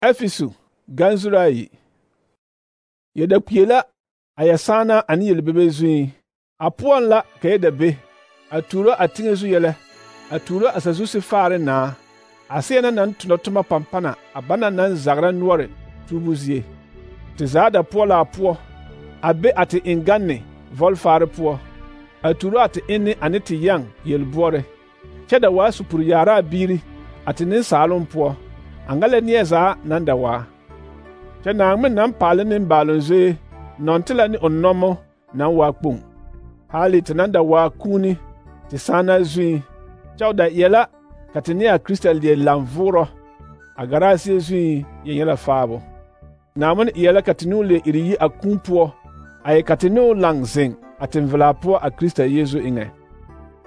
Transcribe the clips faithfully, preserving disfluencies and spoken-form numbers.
Efisu ganzurayi yeda kuyela ayasana ani yelbebe zui apuan la kayeda be aturo atinge zu yele aturo asazu se faare na asena nan tunotuma pampana abana nan zagra nuore tubuzie te zada pola apuo abe ate inganne volfaare puo aturo ate inni anete yang yelbore cheda wa supur yara biri ate nin salon puo angale nieza nanda wa che na ngmen nan pale nin balonze nontela ni onnomo nan wa kpung hali tenanda wa kuni te sana zui chawda yela katenia kristal de lamvuro agarasi zui yela fabo namun yela katinu le iriyi akumpuo ay katinu langzing atenvela po a krista yezu inge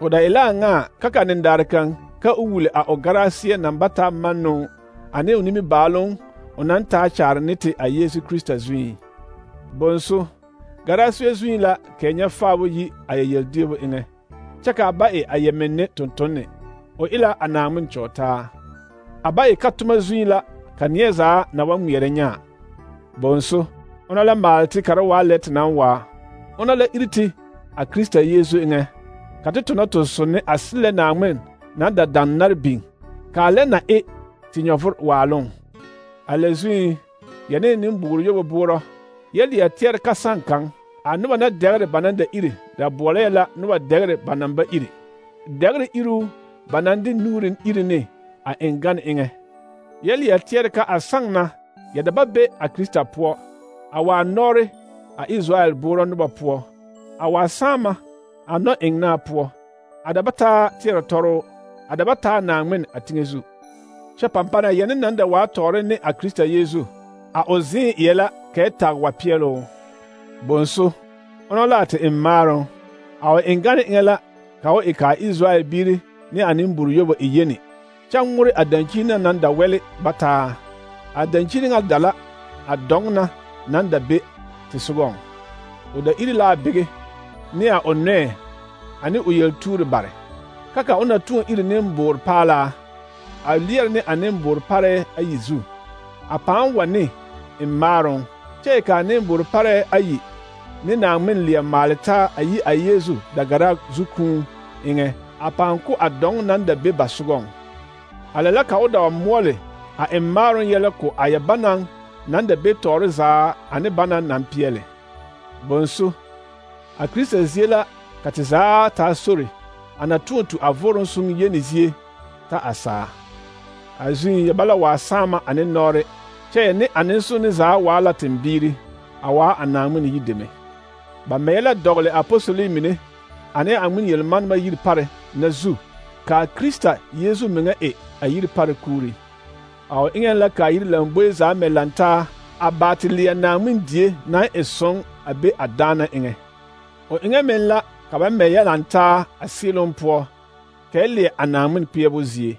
oda ila nga kaka nindarkan ka uwule a ogarasi nambata manu ane unimi balon onan ta char nete a yesu krista zui bonso garasi zui la kenya fabo yi ayel debo inge chaka bae ayemenne tontonne o ila anamun chota abaye katuma zui la kanyeza na wamwere nya bonso ona la malti karawa let nan wa ona la iriti a krista yesu inge katituna to sonne asile na amen na da dannar bin kale na e tinyofur walon alezui yene nin buguru yobo buro yeli ya tier kasankan anuba na degre bananda iri da bole la nuba degre banamba iri degre iru banandi nurin iri ne a engan inge yeli ya tier ka asangna ya da babbe a krista po awa nore a israel buro nuba po awa sama ano engna po adabata tier toro adabata na ngmen atingezu che pampana yene nanda wa tore ne a krista yesu a ozin yela keta wa pielo bonso onola te imaro aw engane ngela kawo ika israel biri ni animburu yobo iyeni changure adankina nanda wele bata adankini ngadala adongna nanda be tisugon oda iri la bege ni a onne ani uyel turu bare kaka ona tuon iri nembor pala a lier ne anembor pare ayizu apan wane immaron che ka anembor pare ayi ne na men lier malta ayi ayezu dagara zukun inge apan ku adong nan da be basugon alala ka oda mole a immaron yele ko ayabanan nan da be toriza ane banan nan piele bonso a krista ziela katiza ta sori anatuntu avoron sun yenizie ta asa azun yabala wa sama ane nore che ne anenso ne za wala tembiri awa anamu ni yideme ba mela dogle apostoli mine ane amun yelman ma yir pare na zu ka krista yesu menga e ayir pare kuri aw ingen la ka yir lambo za melanta abatilia na mun die na eson abe adana inge o ingen men la ka ba meya lanta asilon po kele anamun piebozie